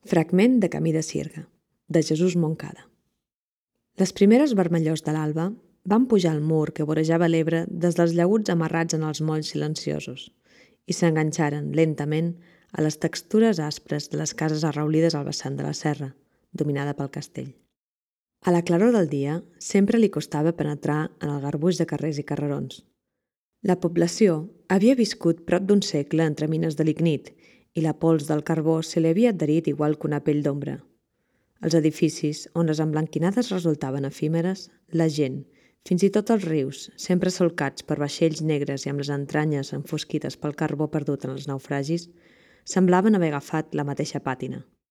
Fragment de Camí de Sirga, de Jesús Moncada. Les primeres vermellors de l'alba van pujar al mur que vorejava l'Ebre des dels llaguts amarrats en els molls silenciosos i s'enganxaren lentament a les textures aspres de les cases arraulides al vessant de la serra, dominada pel castell. A la claror del dia sempre li costava penetrar en el garbuix de carrers i carrerons. La població havia viscut prop d'un segle entre mines de lignit i la pols del carbó se li havia adherit igual que una pell d'ombra. Els edificis, on les emblanquinades resultaven efímeres, la gent, fins i tot els rius, sempre solcats per vaixells negres i amb les entranyes enfosquides pel carbó perdut en els naufragis, semblaven haver agafat la mateixa pàtina.